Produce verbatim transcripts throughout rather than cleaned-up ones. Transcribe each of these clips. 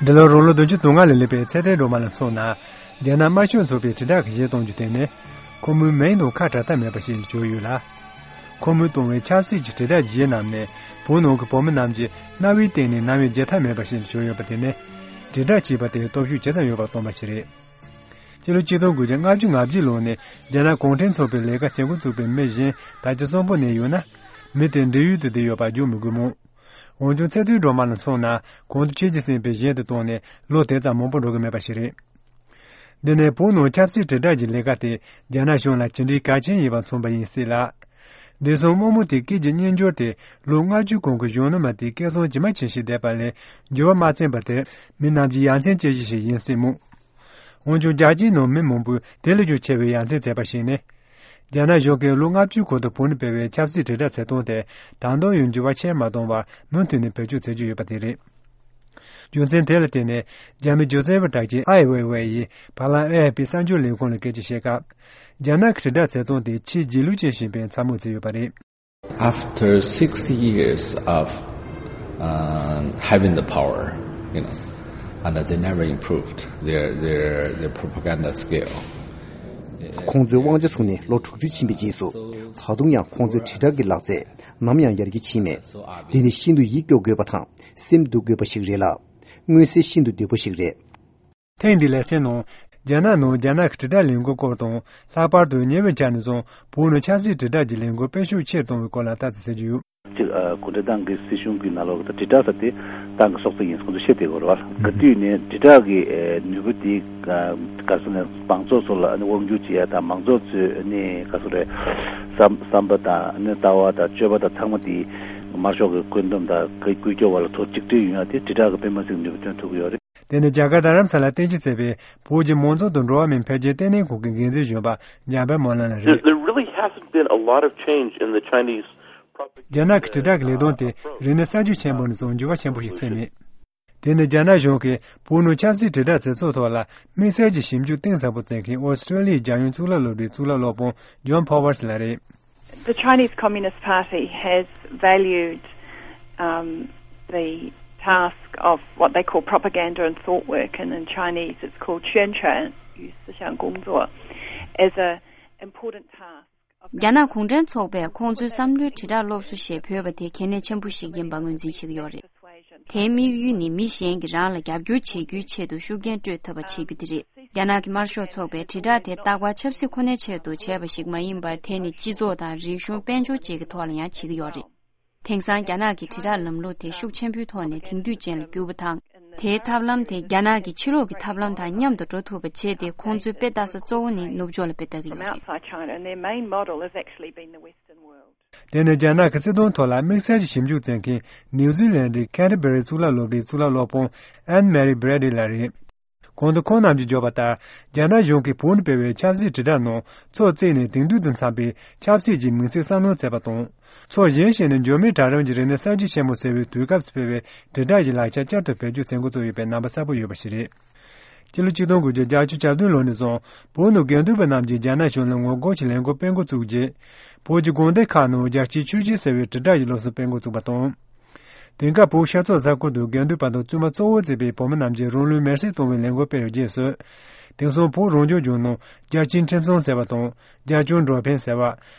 འདི་ལོ་རང་ལོ་བདུན་ཅུ་དོན་ལྔ་ལ་སླེབས་པའི་ཚེ་བརྟན་སྒྲོལ་མ་ལ་མཚོན་ན། རྒྱ་ནག་དམར་ཤོག་ཚོགས་པའི་དྲིལ་བསྒྲགས་ཀྱི་གཞས་གཏོང་རྒྱུ་དེ་ནི། ཁོ་མོའི་མིང་དང་ཁ་བྲལ་ཐབས་མེད་པ་ཞིག་ལ་གྱུར་ཡོད་ལ། ཁོ་མོས་གཏོང་བའི་ཆབ་སྲིད་ཀྱི་དྲིལ་བསྒྲགས་ཀྱི་གཞས་རྣམས་ནི། བོད་ནང་གི་བོད་མི་རྣམས་ཀྱི་རྣ་བའི་སྟེང་ནས་རྣ་བས་བརྗེད་ཐབས་མེད་པ་ཞིག་ལ་གྱུར་ཡོད་པ་དེ་ནི། དྲིལ་བསྒྲགས་བྱས་པ་དེའི་སྟོབས་ཤུགས་ཇི་ཙམ་ཡོད་པ་སྟོན་པ་ཞིག་རེད། སྤྱི་ལོ་ཆིག་སྟོང་དགུ་བརྒྱ་ལྔ་བཅུ་ང་བརྒྱད་ལོ་ནས་རྒྱ་ནག་གུང་ཁྲན་ཚོགས་པའི་ལས་ཀ་བྱེད་འགོ་བཙུགས་པའི་མི་གཞན་ད་ཆ་གསོན་པོ་གནས་ཡོད་ན། མི་དེ་འབྲེལ་ཡོད་དུ་བསྡད་ཡོད་པ་བརྗོད་མི་དགོས་མོད། འོན་ཀྱང་ཚེ་བརྟན་སྒྲོལ་མ་ལ་མཚོན་ན། གོང་དུ་ཁྱེད་ཀྱིས་གསན་པའི་གཞས་དེ་བཏང་ནས་ལོ་དེ་ཙམ་མང་པོ་འགྲོ་གི་མེད་པ་ཞིག་རེད། འདི་ནི་བོད་ནང་ཆབ་སྲིད་དྲིལ་བསྒྲགས་ཀྱི་ལས་ཀ་དེ་རྒྱ་ནག་གཞུང་ལ་ཇི་འདྲའི་གལ་ཆེན་ཡིན་པ་མཚོན་པ་ཡིན་སྲིད་ལ། བགྲེས་སོང་རྨོ་མོ་དེའི་སྐད་ཀྱི་སྙན་སྦྱོར་དེ་ལོ་ལྔ་བཅུ་གོང་གི་གཞོན་ནུ་མ་དེའི་སྐད་གསང་ཇི་མ་ཇི་བཞིན་བསྡད་པ་ལས་འགྱུར་བ་མ་ཕྱིན་པ་དེ་མི་རྣམས་ཀྱི་ཡ་མཚན་སྐྱེ་གཞི་ཞིག་ཡིན་སྲིད་མོད། འོན་ཀྱང་རྒྱལ་སྤྱིའི་ནང་མི་མང་པོས་དེ་ལས་ཀྱང་ཆེ་བའི་ཡ་མཚན་བརྩད་པ་ཞིག་ནི། རྒྱ་ནག་གཞུང་གིས་ལོ་ལྔ་བཅུའི་གོང་དུ་བོད་ནང་སྤེལ་བའི་ཆབ་སྲིད་དྲིལ་བསྒྲགས་བྱེད་སྟངས་དེ་ད་དུང་ཡང་འགྱུར་བ་ཆེར་མ་བཏང་བར་མུ་མཐུད་ནས་བེད་སྤྱོད་བྱེད་ཀྱི་ཡོད་པ་དེ་རེད། རྒྱུ་མཚན་དེ་ལ་བརྟེན་ནས་རྒྱ་མི་སྒྱུ་རྩལ་བ་གྲགས་ཅན་ཨའེ་ཝེ་ཝེ་ཡིས་བར་ལམ་ཨེ་ཨེཕ་པི་གསར་འགྱུར་ལས་ཁུངས་ལ་སྐད་ཆ་བཤད་སྐབས། རྒྱ་ནག་གི་དྲིལ་བསྒྲགས་བྱེད་སྟངས་དེ་ཆེས་རྗེས་ལུས་ཅན་ཞིག་ཡིན་པའི་མཚན་སྨོད་བྱས་ཡོད་པ་རེད། After six years of uh, having the power, you know, and they never improved their, their, their propaganda skill. ཁོང་ཚོས་དབང་ཆ་བཟུང་ནས་ལོ་དྲུག་ཅུ་ཕྱིན་པའི་རྗེས་སུ། ད་དུང་ཡང་ཁོང་ཚོའི་དྲིལ་བསྒྲགས་ཀྱི་ལག་རྩལ་ནམ་ཡང་ཡར་རྒྱས་ཕྱིན་མེད། འདི་ནི་ཤིན་ཏུ་ཡིད་སྐྱོ་དགོས་པ་དང་སེམས་སྡུག་དགོས་པ་ཞིག་རེད་ལ། མངོན་གསལ་ཤིན་ཏུ་བདེ་པོ་ཞིག་རེད། ཐེངས་འདིའི་ལེ་ཚན་ནང་། རྒྱ་ནག་ནང་རྒྱ་ནག་གི་དྲིལ་བསྒྲགས་ལས་འགུལ་སྐོར་དང་། ལྷག་པར་དུ་ཉེ་བའི་ཆར་ནས་བཟུང་བོད་ནང་ཆབ་སྲིད་དྲིལ་བསྒྲགས་ཀྱི་ལས་འགུལ་སྤེལ་ཤུགས་ཆེར་གཏོང་བའི་སྐོར་ལ་ལྟ་ཚུལ་གསལ་རྒྱུ་ཡོད། གཅིག་ཨ། གུང་ཁྲན་ཏང་གི་སྲིད་གཞུང་གི་ནང་ལོགས་ཀྱི་དྲིལ་བསྒྲགས་ཟེར་དེ་ཏང་གི་སྲོག་རྩ་ཡིན་ཁོང་ཚོས་ཤེས་བསྡད་དགོས་རེད་བ། ག་དུས་ནས་དྲིལ་བསྒྲགས་ཀྱི་ཨ། ནུས་པ་དེ་ཨ། ག་ཟེར་ན་མང་ཚོགས་ཚོ་ལ་ཨ་ནི་དབང་སྒྱུར་བྱེད་ཡ་དང་མང་ཚོགས་ཚོའི་ཨ་ནི་ག་ཟེར་རེད། བསམ་བསམ་པ་དང་ཨ་ནི་ལྟ་བ་དང་སྤྱོད་པ་དང་ཚང་མ་དེ་དམར་ཤོག་གི་བཀོད་འདོམས་དང་བཀོད་སྐྱོར་བ་ལ་ཐོག་གཅིག་སྒྲིལ་ཡོང་ཡ་དེ་དྲིལ་བསྒྲགས་ཀྱི་དཔེ་མ་སྲིད་ནུས་པ་ཐོན་ཐུབ་ཀྱི་ཡོད་རེད། དེ་ནི་རྒྱ་གར་རྡ་རམ་ས་ལར་རྟེན་གཞི་བྱས་པའི་བོད་ཀྱི་མང་གཙོ་དང་འགྲོ་བ་མིའི་འཕེལ་རྒྱས་ལྟེ་གནས་ཁང་གི་འགན་འཛིན་གཞོན་པ་འཇམ་དཔལ་སྨོན་ལམ་ལགས་རེད། There, there really hasn't been a lot of change in the Chinese propaganda. རྒྱ་ནག་གི་དྲིལ་བསྒྲགས་ཀྱི་ལས་དོན་དེ་རིག་གནས་གསར་བརྗེ་ཆེན་པོ་ནས་བཟུང་འགྱུར་བ་ཆེན་པོ་ཞིག་ཕྱིན་མེད། དེ་ནི་རྒྱ་ནག་གཞུང་གིས་བོད་ནང་ཆབ་སྲིད་དྲིལ་བསྒྲགས་བྱེད་ཕྱོགས་ཐོག་ལ་དམིགས་བསལ་གྱི་ཞིབ་འཇུག་གཏིང་ཟབ་པོ་བྱེད་མཁན་ཨོ་སི་ཀྲོ་ལི་ཡའི་རྒྱལ་ཡོངས་གཙུག་ལག་སློབ་གྲྭའི་གཙུག་ལག་སློབ་དཔོན་ཇོན་ཕོ་ཝར་སི་ལགས་རེད། The Chinese Communist Party has valued um, the task of what they call propaganda and thought work, and in Chinese it's called 宣传与思想工作, as an important task. རྒྱ་ནག་གུང་ཁྲན་ཚོགས་པས་ཁོང་ཚོའི་བསམ་བློའི་དྲིལ་བསྒྲགས་སློབ་གསོ་ཞེས་འབོད་པ་དེ་གལ་གནད་ཆེན་པོ་ཞིག་ཡིན་པ་ངོས་འཛིན་བྱེད་ཀྱི་ཡོད་རེད། དེའི་དམིགས་ཡུལ་ནི་མི་གཞན་གྱིས་རང་ལ་རྒྱབ་སྐྱོར་བྱེད་རྒྱུའི་ཆེད་དུ་ཤུགས་རྐྱེན་སྤྲོད་ཐུབ་པ་བྱེད་རྒྱུ་དེ་རེད། རྒྱ་ནག་གི་དམར་ཤོག་ཚོགས་པས་དྲིལ་བསྒྲགས་དེ་རྟག་པར་ཆབ་སྲིད་ཁོ་ནའི་ཆེད་དུ་བྱས་པ་ཞིག་མ་ཡིན་པར། དེ་ནི་སྤྱི་ཚོགས་དང་རིག་གཞུང་དཔལ་འབྱོར་བཅས་ཀྱི་ཐོག་ལ་ཡང་བྱེད་ཀྱི་ཡོད་རེད། དེང་སང་རྒྱ་ནག་གི་དྲིལ་བསྒྲགས་ལམ་ལུགས་དེ་ཤུགས་ཆེན་པོའི་ཐོག་ནས་དེང་དུས་ཅན་ལ་བསྒྱུར་བ་དང་། དེའི་ཐབས་ལམ་དེ་རྒྱ་ནག་གི་ཕྱི་ལོགས་ཀྱི་ཐབས་ལམ་དང་མཉམ་དུ་འགྲོ་ཐུབ་པ་བྱས་ཏེ། ཁོང་ཚོའི་དཔེ་ལྟ་ས་གཙོ་བོ་ནི་ནུབ་ཕྱོགས་ལ་དཔེ་ལྟ་གི་ཡོད་རེད། Outside China, and their main model has actually been the Western world. དེ་ནི་རྒྱ་ནག་གི་སྲིད་དོན་ཐོག་ལ་དམིགས་བསལ་གྱི་ཞིབ་འཇུག་མཛད་མཁན་ནིའུ་ཛི་ལན་ཌི་ཁེན་ཏི་བེ་རི་གཙུག་ལག་སློབ་གྲྭའི་གཙུག་ལག་སློབ་དཔོན་ཨན་མེ་རི་བྷི་རེ་ཌི་ལགས་རེད། གོང་དུ་ཁོང་རྣམས་ཀྱིས་བརྗོད་པ་ལྟར། རྒྱ་ནག་གཞུང་གིས་བོད་ནང་སྤེལ་བའི་ཆབ་སྲིད་དྲིལ་བསྒྲགས་ནང་ཕྱོགས་གཅིག་ནས་དེང་དུས་དང་འཚམ་པའི་ཆབ་སྲིད་ཀྱི་མིང་ཚིག་གསར་སྣོན་བྱས་པ་དང་། ཕྱོགས་གཞན་ཞིག་ནས་འབྱོར་མེད་གྲལ་རིམ་གྱི་རིག་གནས་གསར་བརྗེ་ཆེན་མོ་ཟེར་བའི་དུས་སྐབས་སུ་སྤེལ་བའི་དྲིལ་བསྒྲགས་ཀྱི་ལག་ཆ་བསྐྱར་དུ་བེད་སྤྱོད་བྱེད་འགོ་བཙུགས་ཡོད་པའི་རྣམ་པ་གསལ་པོ་ཡོད་པ་ཞིག་རེད། སྤྱི་ལོ་ཆིག་སྟོང་དགུ་བརྒྱ་བརྒྱད་ཅུ་གྱ་བདུན་ལོ་ནས་བཟུང་བོད་ནང་དགེ་འདུན་པ་རྣམས་ཀྱིས་རྒྱ་ནག་གཞུང་ལ་ངོ་རྒོལ་གྱི་ལས་འགུལ་སྤེལ་འགོ་བཙུགས་རྗེས། བོད་ཀྱི་དགོན་སྡེ་ཁག་ནང་རྒྱལ་སྤྱིའི་ཆོས་བརྒྱུད་ཟེར་བའི་དྲིལ་བསྒྲགས་ཀྱི་སློབ་གསོ་སྤེལ་འགོ་བཙུགས་པ་དང་། དེང་སྐབས་བོད་ཤར་ཕྱོགས་ས་ཁུལ་དུ་དགེ་འདུན་པ་དང་བཙུན་མ་གཙོ་བོར་བརྩིས་པའི་བོད་མི་རྣམས་ཀྱིས་རང་ལུས་མེར་སྲེག་གཏོང་བའི་ལས་འགུལ་སྤེལ་བའི་རྗེས་སུ། དེང་སང་བོད་རང་སྐྱོང་ལྗོངས་ནང་རྒྱལ་སྤྱིའི་ཁྲིམས་སྲུང་ཟེར་བ་དང་། རྒྱལ་སྐྱོང་འགྲོ་ཕན་ཟེར་བ།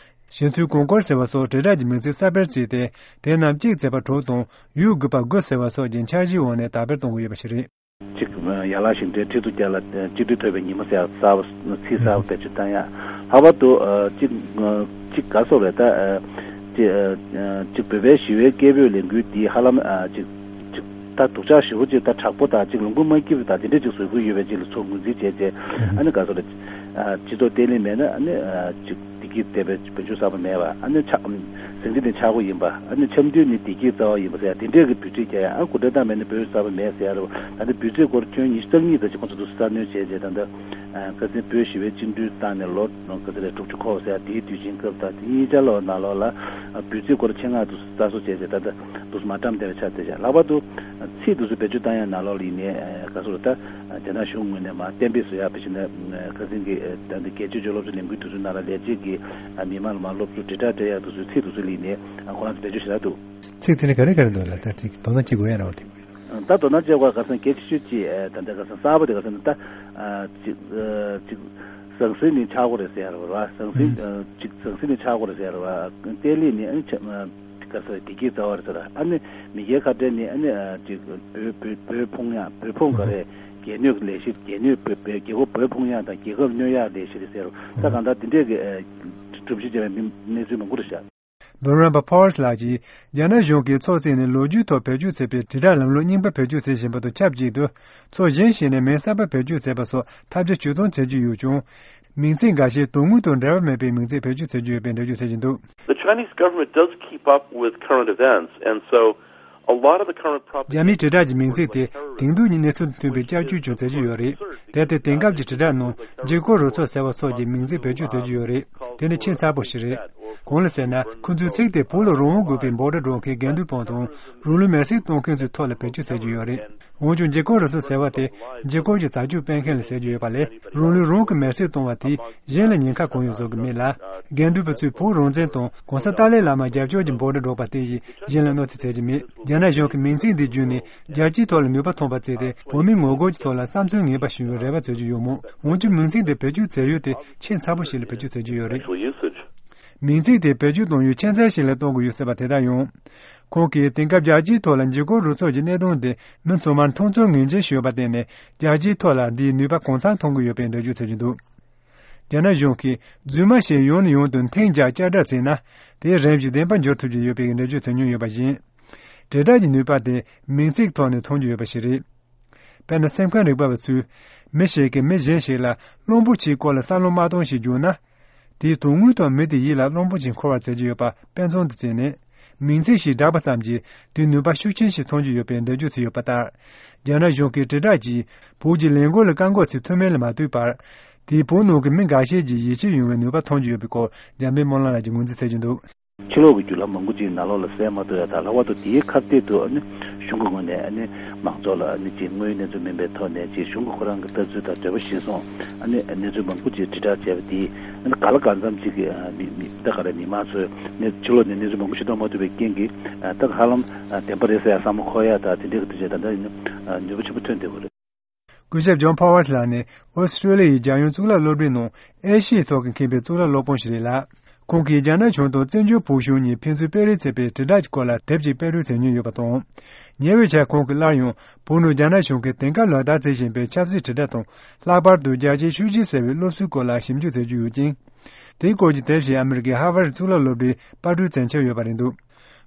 ཞི་མཐུན་གོང་བཀུར་ཟེར་བ་སོགས་དྲིལ་བསྒྲགས་ཀྱི་མིང་ཚིག་གསར་སྤེལ་བྱས་ཏེ། དེ་རྣམས་གཅིག་བྱས་པ་དྲུག་དང་ཡུལ་དགུ་པ་དགུ་ཟེར་བ་སོགས་ཀྱི་འཆར་གཞིའི་འོག་ནས་དར་སྤེལ་གཏོང་གི་ཡོད་པ་ཞིག་རེད། གཅིག་ཡན་ལག་བཞི་ལྡན་ཁྲི་གཙུག་རྒྱ་ལ་གཅིག་སྒྲིལ་ཐོབ་པའི་ཉི་མ་ཟེར་ཡག་གསར་པ་ཚིག་གསར་པ་བེད་སྤྱོད་བཏང་ཡག་ལྷག་པར་དུ་གཅིག་གཅིག་ག་སོགས་རེད་ད། གཅིག་བོད་པའི་ཞི་བའི་སྐད་འབོད་ལས་འགུལ་འདི་ཧ་ལམ་གཅིག་གཅིག་ད་སྡུག་ཅག་ཞེ་པོ་གཅིག་ད་དྲག་པོ་དང་གཅིག་ལུང་པ་མ་སྐྱིད་པ་དང་དེ་འདྲ་གཅིག་བཟོ་དགོས་ཡོད་པའི་གཅིག་ལ་ཚུར་ངོས་འཛིན་བྱས་རྗེས་ཨ་ནི་ག་སོགས་རེད། སྤྱི་ཚོགས་བརྟན་ལྷིང་མེད་ན་ཨ་ནི་གཅིག་བདེ་སྐྱིད་ལྟ་བུའི་བོད་ཆོས་གསར་པ་མེད་པ། ཨ་ནི་ཆགས་ཟིང་འཁྲུག་དེ་ཆགས་སྒོ་ཡིན་པ། ཨ་ནི་འཆམ་མཐུན་ནི་བདེ་སྐྱིད་རྩ་བ་ཡིན་པ་ཟེར་ཡ་དེ་འདྲས་ཀྱི་འབོད་ཚིག་རྒྱག་ཡ། ཨ་གུང་ཁྲན་ཏང་མེད་ན་བོད་གསར་པ་མེད་ཟེར་ཡ་རེད་པ། ད་ལྟ་འབོད་ཚིག་སྐོར་ཁྱོན་ཉི་ཤུ་རྩ་གཉིས་ཙམ་ཞིག་ཁོང་ཚོ་འདུག་སེ་རྩ་སྣོན་བྱས་རྗེས་ད་ལྟ་ཁ་སང་བོད་ཞི་བའི་བཅིངས་འགྲོལ་བཏང་ནས་ལོ་ག་ཚོད་རེད་དྲུག་ཅུ་འཁོར་བ་ཟེར་ཡ་དེའི་དུས་ཆེན་སྐབས་དང་དེ་གཉིས་ཆར་ལོ་ནང་ལོགས་ལ་འབོད་ཚིག་སྐོར་ཆེད་མངགས་འདུག་སེ་རྩ་གསོག་བྱས་རྗེས་ད་ལྟ་འདུག་སེ་མ་བཀྲམ་བསྡད་པའི་ཆ་དེ་བཞག་ལྷག་པར་དུ་ཚིག་འདུག་སེ་བེད་སྤྱོད་བཏང་ཡ་ནང་ལོགས་ལ་ཡིན་ནའི་ག་སོགས་རེད་ད། རྒྱ་ནག་གཞུང་ངོས་ནས་མར་གཏན་འབེབས་བཟོ་ཡག་དཔེ་བྱས་ན་ཁ་སང་གི་ད་ལྟ་རྒྱལ་སྤྱིའི་སློབ་གསོ་ལས་འགུལ་དེ་ཚོའི་ནང་ལ་ལས་བྱེད་ཀྱིས་མི་མང་ལ་མར་སློབ་གསོ་དྲིལ་བསྒྲགས་སྤྲད་ཡག་དེ་ཚོའི་ཚིག་དེ་ཚོ་ལ་ཡིན་ནའི་ཁོ་རང་ཚོ་བེད་སྤྱོད་ཞེ་དྲག་འདུག་ཚིག་དེ་ནི་ག་རེ་ག་རེ་འདུག་ལ་ད་ཅིག་དོ་སྣང་བྱེད་དགོས་ཡ་རེད་བ་དེ། ད་དོ་སྣང་བྱེད་དགོས་ག་ས་གལ་ཆེ་ཤོས་ཅིག་ད་ལྟ་ག་ས་གསར་པ་དེ་ག་ས་ད་ཅིག་ཅིག་ཟང་ཟིང་ནི་ཆགས་དགོས་རེད་ཟེར་བ། ཟང་ཟིང་ཅིག་ཟང་ཟིང་ནི་ཆགས་དགོས་རེད་ཟེར་བ། བརྟན་ལྷིང་ནི་ཨ་ནི་ཆ་ག་ས་བདེ་སྐྱིད་རྩ་བ་རེད་ཟེར། ཨ་ནི་མི་སྒེར་ཁ་བྲལ་ནི་ཨ་ནི་ཅིག་བོད་བོད་བོད་ཕུང་ཡང་བོད་ཕུང་ག་རེད། སྒེར་གནོད་ཀྱི་ལས་གཞི། སྒེར་གནོད་བོད་བོད་རྒྱལ་ཁབ་བོད་ཕུང་ཡག་དང་རྒྱལ་ཁབ་གནོད་ཡག་ལས་གཞི་རེད་ཟེར། ད་གང་ལྟར་འདི་འདྲས་ཀྱི་སྒྲུབ་གཞི་བྱས་པའི་གནས་ཚུལ་མང་པོ་རེད་ཤག། Veronica Powers ལགས་ཀྱིས་རྒྱ་ནག་གཞུང་གིས་ཚོགས་བཙུགས་ནས་ལོ་རྒྱུས་ཐོག་བེད་སྤྱོད་བྱས་པའི་དྲིལ་བསྒྲགས་ལམ་ལུགས་རྙིང་པ་བེད་སྤྱོད་བྱེད་བཞིན་པ་དང་ཆབས་ཅིག་ཏུ། ཚོགས་གཞན་ཞིག་ནས་མིང་གསར་པ་བེད་སྤྱོད་བྱས་པ་སོགས་ཐབས་བརྒྱ་ཇུས་སྟོང་བྱེད་ཀྱི་ཡོད་ཀྱང་། མིང་ཚིག་འགའ་ཤས་དོན་དངོས་དང་འབྲེལ་བ་མེད་པའི་མིང་ཚིག་བེད་སྤྱོད་བྱེད་ཀྱི་ཡོད་པའི་འགྲེལ་བརྗོད་བྱེད་ཀྱི་འདུག། The Chinese government does keep up with current events, and so a lot of the current propaganda རྒྱ་མིའི་དྲིལ་བསྒྲགས་ཀྱི་མིང་ཚིག་དེ་དེང་དུས་ཀྱི་གནས་ཚུལ་དང་མཐུན་པའི་བསྐྱར་བཅོས་ཀྱང་བྱེད་ཀྱི་ཡོད་རེད། དེ་ལྟར་དེང་སྐབས་ཀྱི་དྲིལ་བསྒྲགས་ནང་འཇིགས་སྐུལ་རུ་ཚོགས་ཟེར་བ་སོགས་ཀྱི་མིང་ཚིག་བེད་སྤྱོད་བྱེད་ཀྱི་ཡོད་རེད། དེ་ནི་ཆེས་མཚར་པོ་ཞིག་རེད། གང་ལ་ཟེར་ན། ཁོ་ཚོའི་ཚིག་དེ་བོད་ལ་རང་དབང་དགོས་པའི་འབོད་སྒྲ་སྒྲོག་མཁན་དགེ་འདུན་པ་དང་། རང་ལུས་མེར་སྲེག་གཏོང་མཁན་ཚོའི་ཐོག་ལ་བེད་སྤྱོད་བྱེད་ཀྱི་ཡོད་རེད། འོན་ཀྱང་འཇིགས་སྐུལ་རུ་ཚོགས་ཟེར་བ་དེ་འཇིགས་སྐུལ་གྱི་བྱ་སྤྱོད་སྤེལ་མཁན་ལ་ཟེར་གྱི་ཡོད་པ་ལས། རང་ལུས་རང་གིས་མེར་སྲེག་གཏོང་བ་དེས་གཞན་ལ་ཉེན་ཁ་གང་ཡང་བཟོ་གི་མེད་ལ། དགེ་འདུན་པ་ཚོས་བོད་རང་བཙན་དང་༸གོང་ས་ཏཱ་ལའི་བླ་མར་རྒྱབ་སྐྱོར་གྱི་འབོད་སྒྲ་སྒྲོག་པ་དེ་ཡིས་གཞན་ལ་གནོད་འཚེ་བྱེད་ཀྱི་མེད། རྒྱ་ནག་གཞུང་གིས་མིང་ཚིག་འདི་བརྒྱུད་ནས་རྒྱལ་སྤྱིའི་ཐོག་ལ་ནུས་པ་ཐོན་པ་བྱས་ཏེ། བོད་མིའི་ངོ་རྒོལ་གྱི་ཐོག་ལ་བསམ་ཚུལ་ངན་པ་ཞུ་བའི་རེ་བ་བྱེད་ཀྱི་ཡོད་མོད། འོན་ཀྱང་མིང་ཚིག་འདི་བེད་སྤྱོད་བྱེད་ཡུལ་དེ་ཆེས་མཚར་པོ་ཞིག་ལ་བེད་སྤྱོད་བྱེད་ཀྱི་ཡོད་རེད། Actual usage. མིང་ཚིག་དེ་བེད་སྤྱོད་གཏོང་ཡུལ་ཁྱད་མཚར་ཞིག་ལ་གཏོང་དགོས་ཡོད་སྲིད་པ་དེ་ལྟར་ཡང་། ཁོང་གིས་དེང་སྐབས་རྒྱལ་སྤྱིའི་ཐོག་ལ་འཇིགས་སྐུལ་རུ་ཚོགས་ཀྱི་གནད་དོན་དེ་མི་ཚང་མར་མཐོང་ཚོར་ངེས་ཅན་ཞིག་ཡོད་པར་བརྟེན་ནས། རྒྱལ་སྤྱིའི་ཐོག་ལ་འདིས་ནུས་པ་གང་འཚམ་ཐོན་གྱི་ཡོད་པའི་འགྲེལ་བརྗོད་བྱེད་ཀྱི་འདུག། རྒྱ་ནག་གཞུང་གིས་རྫུན་མ་ཞིག་ཡང་ནས་ཡང་དུ་འཐེན་རྒྱག་བསྐྱར་བསྒྲགས་བྱས་ན། དེའི་རིམ་བཞིན་བདེན་པར་འགྱུར་ཐུབ་ཀྱི་ཡོད་པའི་འགྲེལ་བརྗོད་བྱེད་མྱོང་ཡོད་པ་བཞིན། དྲིལ་བསྒྲགས་ཀྱི་ནུས་པ་དེ་མིང་ཚིག་ཐོག་ནས་མཐོང་རྒྱུ་ཡོད་པ་ཞིག་རེད། དཔེར་ན། སེམས་ཁམས་རིག་པ་བ་ཚོས་མི་ཞིག་གིས་མི་གཞན་ཞིག་ལ་གླང་པོ་ཆེའི་སྐོར་ལ་གསལ་སློང་མ་བཏང་ཞིག་བརྒྱབ་ན། དེས་དོན་དངོས་ཐོག་མི་དེའི་ཡིད་ལ་གླང་པོ་ཆེ་འཁོར་བར་བྱེད་ཀྱི་ཡོད་པ་དཔེ་མཚོན་དུ་བྱས་ནས། མིང་ཚིག་ཞིག་བསྒྲགས་པ་ཙམ་གྱིས་དེའི་ནུས་པ་ཤུགས་ཆེན་ཞིག་ཐོན་གྱི་ཡོད་པའི་འགྲེལ་བརྗོད་བྱས་ཡོད་པ་ལྟར། རྒྱ་ནག་གཞུང་གིས་དྲིལ་བསྒྲགས་ཀྱིས་བོད་ཀྱི་ལས་འགུལ་ལ་བཀག་འགོག་བྱེད་ཐུབ་མིན་ལ་མ་ལྟོས་པར། དེས་བོད་ནང་གི་མི་འགའ་ཤས་ཀྱི་ཡིད་ཆེས་ཡོང་བའི་ནུས་པ་ཐོན་གྱི་ཡོད་པའི་སྐོར། འཇམ་དཔལ་སྨོན་ལམ་ལགས་ཀྱིས་ངོས་འཛིན་བྱེད་ཀྱི་འདུག། ཕྱི་ལོགས་ཀྱི་བརྒྱུད་ལམ་མང་པོ་ཅིག་ནང་ལོགས་ལ་གསན་མ་ཐུབ་ཡ་དང་། ལྷག་པར་དུ་དེའི་ཁ་གཏད་དུ་ཨ་ནི་གཞུང་གི་ངོས་ནས་ཨ་ནི་མང་ཚོགས་ལ་ཨ་ནི་ཅིག་དངོས་ཡོད་གནས་ཚུལ་མིན་པའི་ཐོག་ནས་ཅིག་གཞུང་གི་ཁོ་རང་གི་ལྟ་ཚུལ་དང་འདོད་པ་གཞིར་བཟུང་ཨ་ནི་གནས་ཚུལ་མང་པོ་ཅིག་དྲིལ་བསྒྲགས་བྱས་པ་དེས། ཨ་ནི་ག་ལ་གང་འཚམ་ཅིག་གི་ཨ་མི་མི་ད་ག་རེ་མི་མང་ཚོས་ནི་ཕྱི་ལོགས་ནས་གནས་ཚུལ་མང་པོ་ཤེས་རྟོགས་མ་ཐུབ་པའི་རྐྱེན་གྱིས། ཨ་ད་ཧ་ལམ་ཨ་བདེན་པ་རེད་ཟེར་ཡ་བསམ་བློ་འཁོར་ཡ་དང་། དེ་འདྲའི་གི་དུས་ཆེན་ད་ལྟ་ཡིན་ན་ཨ་ནུས་པ་ཆེན་པོ་ཐོན་བསྡད་ཡོད་རེད། སྐུ་ཞབས་ཇོན་ཕོ་ཝར་ལགས་ནི་ཨོ་སི་ཀྲོ་ལི་ཡའི་རྒྱལ་ཡོངས་གཙུག་ལག་སློབ་གྲྭའི་ནང་ཨེ་ཤི་ཡའི་ཐོག་གི་མཁས་པའི་གཙུག་ལག་སློབ་དཔོན་ཞིག་རེད་ལ། ཁོང་གིས་རྒྱ་ནག་གཞུང་དང་བཙན་བྱོལ་བོད་གཞུང་གཉིས་ཕན་ཚུན་སྤེལ་རེས་བྱེད་པའི་དྲིལ་བསྒྲགས་ཀྱི་སྐོར་ལ་དེབ་ཅིག་དཔེ་སྐྲུན་བྱེད་མྱོང་ཡོད་པ་དང་། ཉེ་བའི་ཆར་ཁོང་གིས་སླར་ཡང་བོད་ནང་རྒྱ་ནག་གཞུང་གིས་དེང་སྐབས་ལག་བསྟར་བྱེད་བཞིན་པའི་ཆབ་སྲིད་དྲིལ་བསྒྲགས་དང་། ལྷག་པར་དུ་རྒྱལ་སྤྱིའི་ཆོས་བརྒྱུད་ཟེར་བའི་སློབ་གསོའི་སྐོར་ལ་ཞིབ་འཇུག་མཛད་རྒྱུ་ཡོད་ཅིང་། དེའི་སྐོར་གྱི་དེབ་ཞིག་ཨ་མི་རི་ཀའི་ཧར་ཝར་གཙུག་ལག་སློབ་གྲྭའི་པར་སྐྲུན་མཛད་འཆར་ཡོད་པ་རེད་འདུག།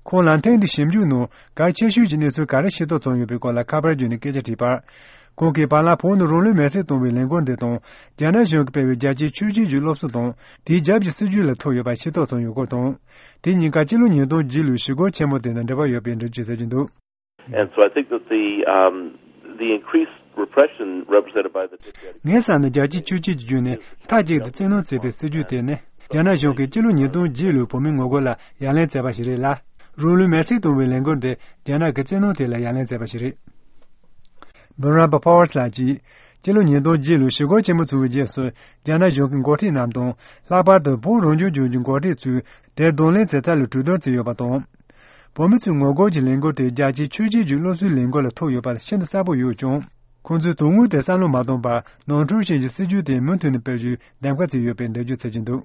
ཁོང་ལ་ཐེངས་འདིའི་ཞིབ་འཇུག་ནང་གལ་ཆེ་ཤོས་ཀྱི་གནས་ཚུལ་ག་རེ་ཤེས་རྟོགས་བྱུང་ཡོད་པའི་སྐོར་ལ་ཁ་པར་བརྒྱུད་ནས་སྐད་ཆ་དྲིས་པར། ཁོང་གིས་བར་ལམ་བོད་ནང་རང་ལུས་མེར་སྲེག་གཏོང་བའི་ལས་འགུལ་འདི་དང་། རྒྱ་ནག་གཞུང་གིས་སྤེལ་བའི་རྒྱལ་སྤྱིའི་ཆོས་བརྒྱུད་ཀྱི་སློབ་གསོ་དང་། དེའི་རྒྱབ་ཀྱི་སྲིད་ཇུས་ལ་ཐུག་ཡོད་པ་ཤེས་རྟོགས་བྱུང་ཡོད་སྐོར་དང་། དེ་གཉིས་ཀ་སྤྱི་ལོ་ཉིས་སྟོང་བརྒྱད་ལོའི་ཞི་རྒོལ་ཆེན་མོ་དེ་དང་འབྲེལ་བ་ཡོད་པའི་འགྲེལ་བརྗོད་མཛད་ཀྱི་འདུག། And so I think that the, um, the increased repression represented by the patriarchy ངས་བསམ་ན་རྒྱལ་སྤྱིའི་ཆོས་བརྒྱུད་ཀྱི་བརྒྱུད་ནས་མཐའ་གཅིག་ཏུ་བཙན་གནོན་བྱེད་པའི་སྲིད་ཇུས་དེ་ནི། རྒྱ་ནག་གཞུང་གིས་སྤྱི་ལོ་ཉིས་སྟོང་བརྒྱད་ལོའི་བོད་མིའི་ངོ་རྒོལ་ལ་ཡ་ལན་བྱས་པ་ཞིག་རེད་ལ། རང་ལུས་མེར་སྲེག་གཏོང་བའི་ལས་འགུལ་དེ་རྒྱ་ནག་གི་བཙན་གནོན་དེ་ལ་ཡ་ལན་བྱས་པ་ཞིག་རེད། Veronica Powers ལགས་ཀྱིས། སྤྱི་ལོ་ཉིས་སྟོང་བརྒྱད་ལོའི་ཞི་རྒོལ་ཆེན་མོ་བྱུང་བའི་རྗེས་སུ། རྒྱ་ནག་གཞུང་གི་འགོ་ཁྲིད་རྣམས་དང་། ལྷག་པར་དུ་བོད་རང་སྐྱོང་ལྗོངས་ཀྱི་འགོ་ཁྲིད་ཚོས་དེར་གདོང་ལེན་བྱེད་ཐབས་ལ་གྲོས་བསྡུར་བྱས་ཡོད་པ་དང་། བོད་མི་ཚོའི་ངོ་རྒོལ་གྱི་ལས་འགུལ་དེ་རྒྱལ་སྤྱིའི་ཆོས་བརྒྱུད་ཀྱི་སློབ་གསོའི་ལས་འགུལ་ལ་ཐུག་ཡོད་པ་ཤིན་ཏུ་གསལ་པོ་ཡོད་ཀྱང་། ཁོང་ཚོས་དོན་དངོས་དེ་བསམ་བློ་མ་བཏང་བར། ནོར་འཁྲུལ་ཅན་གྱི་སྲིད་ཇུས་དེ་མུ་མཐུད་ནས་སྤེལ་རྒྱུའི་འདེམས་ཀ་བྱས་ཡོད་པའི་འགྲེལ་བརྗོད་བྱེད་ཀྱི་འདུག།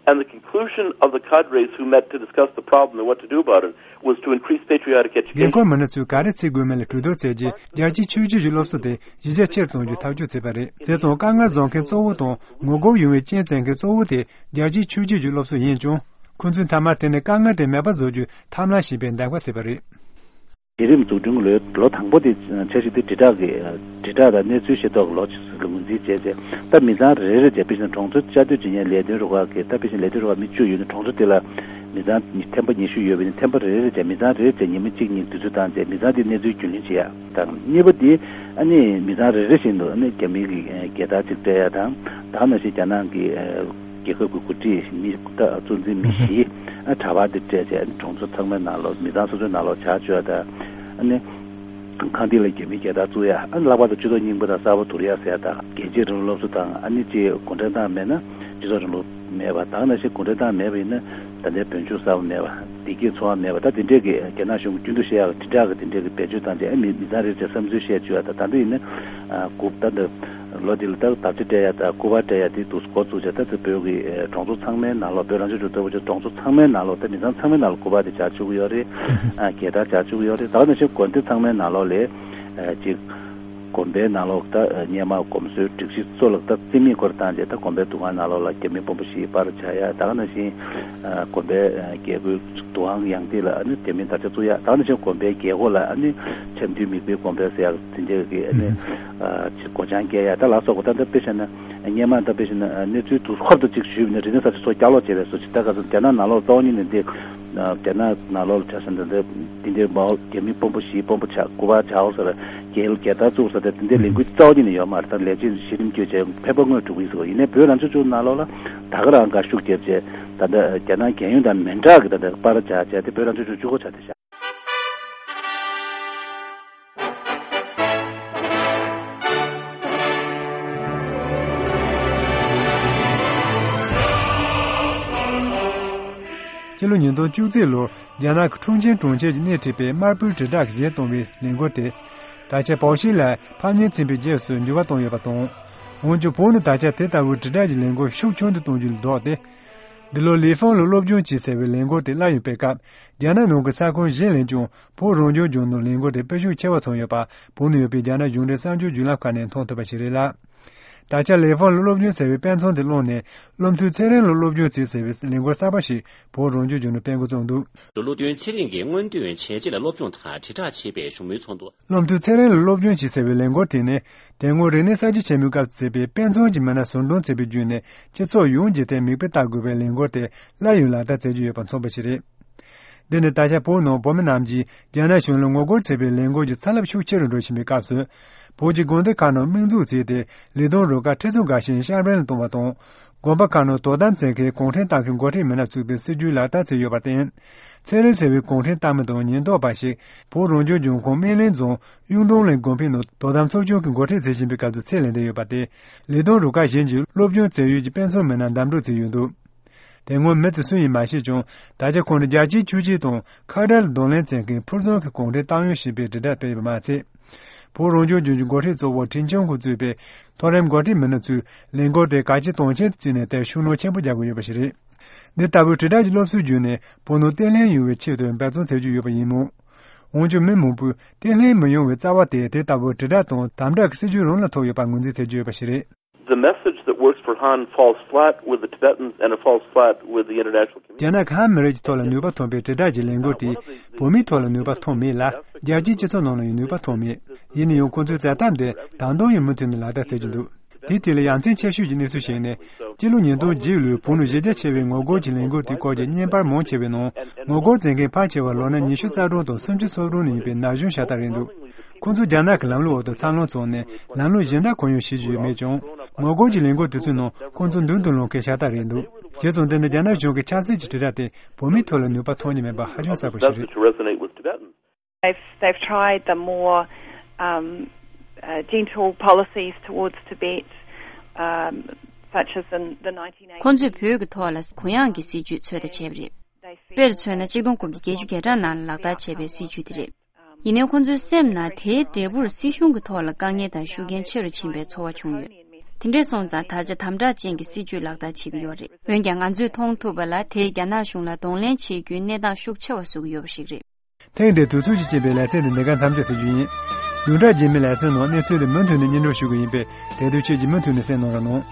And the conclusion of the cadres who met to discuss the problem and what to do about it was to increase patriotic འགན་education. ཁུར་མི་སྣ་ཚོས་ག་རེ་བྱེད་དགོས་མིན་ལ་གྲོས་བསྡུར་བྱས་རྗེས། རྒྱལ་སྤྱིའི་ཆོས་བརྒྱུད་ཀྱི་སློབ་གསོ་དེ་གཞི་རྒྱ་ཆེར་གཏོང་རྒྱུའི་ཐག་གཅོད་བྱས་པ་རེད། བྱས་ཙང་། དཀའ་ངལ་བཟོ་མཁན་གཙོ་བོ་དང་། ངོ་རྒོལ་ཡོང་བའི་རྐྱེན་བྱེད་མཁན་གཙོ་བོ་དེ་རྒྱལ་སྤྱིའི་ཆོས་བརྒྱུད་ཀྱི་སློབ་གསོ་ཡིན་ཀྱང་། ཁོ་ཚོས་མཐའ་མར་དེ་ནས་དཀའ་ངལ་དེ་མེད་པ་བཟོ་རྒྱུའི་ཐབས་ལམ་ཞིག་ཡིན་པའི་འདེམས་ཀ་བྱས་པ་རེད། གཞི་རིམ་འཛུགས་སྐྲུན་གྱི་ལོའི་ལོ་དང་པོ་དེ་འཆར་གཞི་དེ་དྲིལ་བསྒྲགས་ཀྱི་དྲིལ་བསྒྲགས་དང་གནས་ཚུལ་ཤེས་རྟོགས་ཀྱི་ལོ་ཞིག་ལ་ངོས་འཛིན་བྱས་རྗེས། ད་མི་ཚང་རེ་རེ་ལ་བྱས། དཔེ་བཞིན་གྲོང་ཚོ་བཅའ་སྡོད་བྱེད་མཁན་ལས་དོན་རུ་ཁག་གི། ད་དཔེ་བཞིན་ལས་དོན་རུ་ཁག་མི་བཅུ་ཡོད་ན། གྲོང་ཚོ་དེ་ལ་མི་ཚང་ཉི་ཐེམ་པ་ཉི་ཤུ་ཡོད་པ་ཡིན་ན། ཐེམ་པ་རེ་རེ་བྱས་ཉི་མ་གཅིག་གཉིས་དུས་ཚོད་བཏང་རྗེས། མི་ཚང་དེའི་གནས་ཚུལ་རྒྱུས་ལོན་བྱེད་ཡ་དང་། གཉིས་པ་དེ་ཨ་ནི་མི་ཚང་རེ་རེ་བཞིན་དུ་ཨ་ནི་རྒྱ་མིའི་གི་རྒྱལ་དར་ཅིག་སྤྲད་ཡ་དང་། ད་ག་ནང་བཞིན་རྒྱ་ནག་གི་རྒྱལ་ཁབ་ཀྱི་འགོ་ཁྲིད་མི་ད་གཙོ་འཛིན་མི་བཞི་ཨ་དྲ་བ་དེ་སྤྲད་བྱས། ཨ་ནི་གྲོང་ཚོ་ཚང་མའི་ནང་ལོགས། མི་ཚང་སོ་སོའི་ནང་ལོགས་ཇ་བཅུ་ཡ་དང་། ཨ་ནི། ཁང་སྟེང་ལ་རྒྱ་མིའི་རྒྱལ་དར་བཙུགས་ཡ། ཨ་ནི་ལྷག་པར་དུ་སྤྱི་ཚོགས་རྙིང་པ་དང་གསར་པ་བསྡུར་ཡ་ཟེར་ཡ་དང་། རྒྱལ་གཅེས་རིང་ལུགས་སློབ་གསོ་དང་། ཨ་ནི་ཅིག་གུང་ཁྲན་ཏང་མེད་ན་སྤྱི་ཚོགས་རིང་ལུགས་མེད་པ། ད་ག་ནང་བཞིན་གུང་ཁྲན་ཏང་མེད་པ་ཡིན་ན་ད་ལྟའི་བོད་ལྗོངས་གསར་པ་མེད་པ། བདེ་སྐྱིད་འཚོ་བ་མེད་པ། ད་དེ་འདྲས་ཀྱི་རྒྱ་ནག་གཞུང་གིས་རྒྱུན་དུ་བཤད་ཡག་དེ་འདྲ་གི་དེ་འདྲས་ཀྱི་བེད་སྤྱོད་བཏང་སྟེ། ཨ་མི་མི་ཚང་རེ་རེ་བསམ་ཚུལ་བཤད་བཅུག་ཡ་དང་། ད་ལྟ་ཡིན་ན་ཨ་དགུ་ད་ལྟ་ལོ་འདི་ལ་ད་དར་ཆ་སྤྲད་ཡ་དང་སྐུ་པར་སྤྲད་ཡ་དེ་འདུག་འགོ་བཙུགས་བྱས། ད་ལྟ་བོད་ཀྱི་ཨ་གྲོང་ཚོ་ཚང་མའི་ནང་ལོགས། བོད་རང་སྐྱོང་ལྗོངས་ལྟ་བུ་ཅིག་གྲོང་ཚོ་ཚང་མའི་ནང་ལོགས། ད་མི་ཚང་ཚང་མའི་ནང་ལོགས་སྐུ་པར་དེ་སྦྱར་བཅུག་གི་ཡོད་རེད། ཨ་རྒྱལ་དར་སྦྱར་བཅུག་གི་ཡོད་རེད། ད་ག་ནང་བཞིན་དགོན་སྡེ་ཚང་མའི་ནང་ལོགས་ལ་ཨ་ཅིག་དགོན་པའི་ནང་ལོགས་ད་སྔོན་མ་གོམས་སྲོལ་སྒྲིག་གཞི་ཚོ་ལ་ད་རྩིས་མེད་སྐོར་བཏང་རྗེས། ད་དགོན་པའི་འདུ་ཁང་ནང་ལོགས་ལ་རྒྱ་མི་དཔོན་པོ་བཞིའི་པར་སྦྱར་ཡ། ད་ག་ནང་བཞིན་ཨ་དགོན་པའི་ཨ་རྒྱལ་སྒོའི་འདུ་ཁང་ཡང་སྟེང་ལ་ཨ་ནི་རྒྱ་མིའི་དར་ཆ་བཙུགས་ཡ། ད་ག་ནང་བཞིན་དགོན་པའི་རྒྱལ་སྒོ་ལ་ཨ་ནི་འཆམ་མཐུན་མིག་དཔེའི་དགོན་པ་ཟེར་ཡག་དེ་འདྲ་གི་ཨ་ནི་ཨ་ཅིག་སྒོ་བྱང་བཀལ་ཡ། ད་ལ་སོགས་པ། ད་ལྟ་དཔེ་བཞག་ན་སྔོན་མ་ད་དཔེ་བཞག་ན་གནས་ཚུལ་དུས་སྐབས་ཏུ་ཅིག་ཞུས་པ་ཡིན་ན། རིག་གནས་གསར་བརྗེ་ཚོ་བསྐྱར་ལོག་བྱས་པའི་བཟོ་ཅིག་ད་ག་ཚོད་རྒྱ་ནག་ནང་ལོགས་གཙོ་བོ་ཉིད་ནས་འདི་རྒྱ་ནག་ནང་ལོགས་ལ་ཆ་བཞག་ན་འདི་འདི་འདྲའི་མའོ་རྒྱ་མི་དཔོན་པོ་བཞིའི་དཔོན་པོ་ཆགས། སྐུ་པར་སྦྱར་ཟེར། རྒྱལ་རྒྱལ་དར་བཙུགས་ཟེར། ད་འདི་འདྲའི་ལས་འགུལ་རྩ་བ་ཉིད་ནས་ཡོད་མ་རེད། ད་ལས་བྱེད་གཞི་རིམ་བསྐྱོད་བྱས་ཕན་པ་དངོས་སྒྲུབ་ཀྱི་ཡིན་ཟེར་བ་ཡིན་ནའི། བོད་རང་སྐྱོང་ལྗོངས་ནང་ལོགས་ལ་ད་ག་རང་དགའ་ཤུགས་རྒྱབ་བྱས། ད་ལྟ་རྒྱ་ནག་རྒྱལ་ཡོངས་དང་མི་འདྲ་གི་ད་ལྟ་པར་སྦྱར་བྱས་ཏེ་བོད་རང་སྐྱོང་ལྗོངས་གཅིག་པོ་ཆགས་བསྡད་ཤག་སྤྱི་ལོ་ཉིས་སྟོང་བཅུ་གཅིག་ལོར་རྒྱ་ནག་གི་ཁྲུང་ཆིང་གྲོང་ཁྱེར་གྱི་སྣེ་ཁྲིད་པའི་དམར་པོའི་དྲིལ་བསྒྲགས་ཀྱི་གཞས་གཏོང་བའི་ལས་འགུལ་དེ། ད་ཆ་པའོ་ཤིན་ལའི་ཕམ་ཉེས་ཚན་པའི་རྗེས་སུ་འགྱུར་བ་བཏང་ཡོད་པ་དང་། འོན་ཀྱང་བོད་ནང་ད་ཆ་དེ་ལྟ་བུའི་དྲིལ་བསྒྲགས་ཀྱི་ལས་འགུལ་ཤུགས་ཆུང་དུ་གཏོང་རྒྱུ་ལ་ལྡོག་སྟེ། འདི་ལོ་ལི་ཧྥང་ལ་སློབ་སྦྱོང་བྱེད་ཟེར་བའི་ལས་འགུལ་དེ་སླར་ཡང་སྤེལ་སྐབས། རྒྱ་ནག་ནང་གི་ས་ཁུལ་གཞན་ལས་ཀྱང་བོད་རང་སྐྱོང་ལྗོངས་ནང་ལས་འགུལ་དེ་སྤེལ་ཤུགས་ཆེ་བ་བྱུང་ཡོད་པ། བོད་ནང་ཡོད་པའི་རྒྱ་ནག་གཞུང་འབྲེལ་གསར་འགྱུར་བརྒྱུད་ལམ་ཁག་ནས་མཐོང་ཐུབ་པ་ཞིག་རེད་ལ། ད་ཆ་ལི་ཧྥང་ལ་སློབ་སྦྱོང་ཟེར་བའི་དཔེ་མཚོན་དེ་བླངས་ནས། བློ་མཐུན་ཚེ་རིང་ལ་སློབ་སྦྱོང་བྱེད་ཟེར་བའི་ལས་འགུལ་གསར་པ་ཞིག་བོད་རང་སྐྱོང་ལྗོངས་ནང་སྤེལ་འགོ་བཙུགས་འདུག་བློ་མཐུན་ཚེ་རིང་གིས་སྔོན་ཐོན་བྱས་རྗེས་ལ་སློབ་སྦྱོང་དང་དྲིལ་བསྒྲགས་བྱེད་པའི་བཞུགས་མོལ་ཚོགས་འདུ། བློ་མཐུན་ཚེ་རིང་ལ་སློབ་སྦྱོང་བྱེད་ཟེར་བའི་ལས་འགུལ་དེ་ནི། དེ་སྔོན་རིག་གནས་གསར་བརྗེ་ཆེན་མོའི་སྐབས་སུ་མཛད་པའི་དཔེ་མཚོན་གྱི་མི་སྣ་ཟུར་འདོན་བྱས་པ་བརྒྱུད་ནས། སྤྱི་ཚོགས་ཡོངས་ཀྱིས་དེར་མིག་དཔེ་ལྟ་དགོས་པའི་ལས་འགུལ་དེ་སླར་ཡང་ལག་བསྟར་མཛད་ཀྱི་ཡོད་པ་མཚོན་པ་ཞིག་རེད། འདི་ནི་ད་ཆ་བོད་ནང་བོད་མི་རྣམས་ཀྱིས་རྒྱ་ནག་གཞུང་ལ་ངོ་རྒོལ་བྱེད་པའི་ལས་འགུལ་གྱི་ཚ་རླབས་ཤུགས་ཆེ་རུ་འགྲོ་བཞིན་པའི་སྐབས་སུ། བོད་ཀྱི་དགོན་སྡེ་ཁག་ནང་དམིགས་འཛུགས་བྱས་ཏེ། ལི་སྡོང་རུ་ཁག་ཁྲི་ཚོ་འགའ་ཤས་ཤར་བན་ལ་གཏོང་བ་དང་། དགོན་པ་ཁག་ནང་དོ་དམ་བྱེད་མཁན་གུང་ཁྲན་ཏང་གི་འགོ་ཁྲིད་མི་སྣ་བཙུགས་པའི་སྲིད་ཇུས་ལག་བསྟར་བྱས་ཡོད་པར་བརྟེན། ཚེ་རིང་ཟེར་བའི་གུང་ཁྲན་ཏང་མི་དང་ཉེན་རྟོག་པ་ཞིག་བོད་རང་སྐྱོང་ལྗོངས་ཁོངས་སྨན་གླིང་རྫོང་གཡུང་དྲུང་གླིང་དགོན་པའི་ནང་དོ་དམ་ཚོགས་ཆུང་གི་འགོ་ཁྲིད་བྱེད་བཞིན་པའི་སྐབས་སུ་ཚེ་ལས་འདས་ཡོད་པ་སྟེ། ལི་སྡོང་རུ་ཁག་གཞན་གྱི་སློབ་སྦྱོང་བྱེད་ཡུལ་གྱི་དཔེ་མཚོན་མི་སྣ་འདམ་འགྲོ་བྱས་ཡོད་འདུག་དེ་སྔོན་མི་དེ་སུ་ཡིན་མ་ཤེས་ཀྱང་། ད་ཆ་ཁོང་ནི་རྒྱལ་གཅེས་ཆོས་གཅེས་དང་ཁ་བྲལ་གདོང་ལེན་བྱེད་མཁན་ཕུལ་བྱུང་གི་གུང་ཁྲན་ཏང་ཡོན་ཞེས་པའི་དྲིལ་བསྒྲགས་སྤེལ་ཡོད་པ་མ་ཚད། བོད་རང་སྐྱོང་ལྗོངས་ཀྱི་འགོ་ཁྲིད་གཙོ་བོ་ཁྲིན་ཆང་ཁོ་གཙོས་པའི་མཐོ་རིམ་འགོ་ཁྲིད་མི་སྣ་ཚོས་ལས་འགུལ་དེ་གལ་ཆེ་དོན་ཆེན་དུ་བརྩིས་ནས་དེར་ཤུགས་སྣོན་ཆེན་པོ་རྒྱག་གི་ཡོད་པ་ཞིག་རེད། འདི་ལྟ་བུའི་དྲིལ་བསྒྲགས་ཀྱི་སློབ་གསོའི་བརྒྱུད་ནས་བོད་ནང་བརྟན་ལྷིང་ཡོང་བའི་ཆེད་དུ་འབད་བརྩོན་བྱེད་རྒྱུ་ཡོད་པ་ཡིན་མོད། འོན་ཀྱང་མི་མང་པོས་བརྟན་ལྷིང་མི་ཡོང་བའི་རྩ་བ་དེ་དེ་ལྟ་བུའི་དྲིལ་བསྒྲགས་དང་དམ་དྲག་གི་སྲིད་ཇུས་རང་ལ་ཐུག་ཡོད་པར་ངོས་འཛིན་བྱེད་ཀྱི་ཡོད་པ་ཞིག་རེད། The message that works for Han falls flat with the Tibetans and it falls flat with the international community. རྒྱ་ནག་གི་ཧན་མི་རིགས་ཀྱི་ཐོག་ལ་ནུས་པ་ཐོན་པའི་དྲིལ་བསྒྲགས་ཀྱི་ལས་འགུལ་དེས་བོད་མིའི་ཐོག་ལ་ནུས་པ་ཐོན་མེད་ལ། རྒྱལ་སྤྱིའི་སྤྱི་ཚོགས་ནང་ལ་ཡང་ནུས་པ་ཐོན་མེད། ཡིན་ན་ཡང་ཁོང་ཚོའི་མཛད་ཐབས་འདི་ད་དུང་ཡང་མུ་མཐུད་ནས་ལག་བསྟར་བྱེད་ཀྱི་འདུག་དེའི་ཐད་ལ་ཡ་མཚན་ཆེ་ཤོས་ཀྱི་གནས་ཚུལ་ཞིག་ནི། སྤྱི་ལོ་ཉིས་སྟོང་བརྒྱད་ལོའི་བོད་ནང་གཞི་རྒྱ་ཆེ་བའི་ངོ་རྒོལ་གྱི་ལས་འགུལ་དེའི་སྐོར་གྱི་བརྙན་པར་མང་ཆེ་བའི་ནང་། ངོ་རྒོལ་མཛད་མཁན་ཕལ་ཆེ་བ་ལོ་ན་ཉི་ཤུ་རྩ་གྲངས་དང་སུམ་ཅུ་སོ་གྲངས་ནས་ཡིན་པའི་ན་གཞོན་ཤ་སྟག་རེད་འདུག་ཁོང་ཚོ་རྒྱ་ནག་གི་ལམ་ལུགས་འོག་ཏུ་འཚར་ལོངས་བྱུང་ནས་ལམ་ལུགས་གཞན་དག་གང་ཡང་ཤེས་ཀྱི་ཡོད་མེད་ཀྱང་། ངོ་རྒོལ་གྱི་ལས་འགུལ་དེ་ཚོའི་ནང་ཁོང་ཚོ་མདུན་དུ་ལངས་མཁན་ཤ་སྟག་རེད་འདུག་བྱས་ཙང་འདི་ནི་རྒྱ་ནག་གཞུང་གི་ཆབ་སྲིད་ཀྱི་དྲིལ་བསྒྲགས་དེ་བོད་མིའི་ཐོག་ལ་ནུས་པ་ཐོན་གྱི་མེད་པ་ཧ་ཅང་གསལ་པོ་ཞིག་རེད། Message to resonate with Tibetans. They've, they've tried the more um, uh, gentle policies towards Tibet, um, such as in the nineteen eighties. ཁོང་ཚོས་བོད་ཀྱི་ཐོག་ལ་གུ་ཡངས་ཀྱི་སྲིད་ཇུས་ཚོད་ལྟ་བྱས་པ་རེད། དཔེར་མཚོན་ན། གཅིག་སྟོང་དགུ་བརྒྱ་བརྒྱད་ཅུ་གྱ་གྲངས་ནང་ལ་ལག་བསྟར་བྱས་པའི་སྲིད་ཇུས་དེ་རེད། ཡིན་ནའི་ཁོང་ཚོའི་སེམས་ནང་དེའི་འབྲས་བུར་སྲིད་གཞུང་གི་ཐོག་ལ་དཀའ་ངལ་དང་ཤུགས་རྐྱེན་ཆེ་རུ་ཕྱིན་པའི་ཚོར་བ་བྱུང་ཡོད། དེ་འདྲས་སོང་ཙང་ད་ཆ་དམ་དྲག་ཅན་གྱི་སྲིད་ཇུས་ལག་བསྟར་བྱེད་ཀྱི་ཡོད་རེད། འོན་ཀྱང་ང་ཚོས་མཐོང་ཐུབ་པ་ལ་དེས་རྒྱ་ནག་གཞུང་ལ་གདོང་ལེན་བྱེད་རྒྱུའི་གནས་སྟངས་ཤུགས་ཆེ་བ་བཟོ་གི་ཡོད་པ་ཞིག་རེད། ཐེངས་འདིའི་དུས་ཚོད་ཀྱིས་བསྐྱེད་པའི་ལེ་ཚན་འདི་འདི་གར་མཚམས་འཇོག་ཞུ་རྒྱུ་ཡིན། བདུན་ཕྲག་རྗེས་མའི་ལེ་ཚན་ནང་གནས་ཚུལ་འདི་མུ་མཐུད་ནས་སྙན་སྒྲོན་ཞུ་གི་ཡིན་པས། དེ་དུས་ཁྱེད་ཀྱིས་མུ་མཐུད་ནས་གསན་གནང་རོགས་གནང་།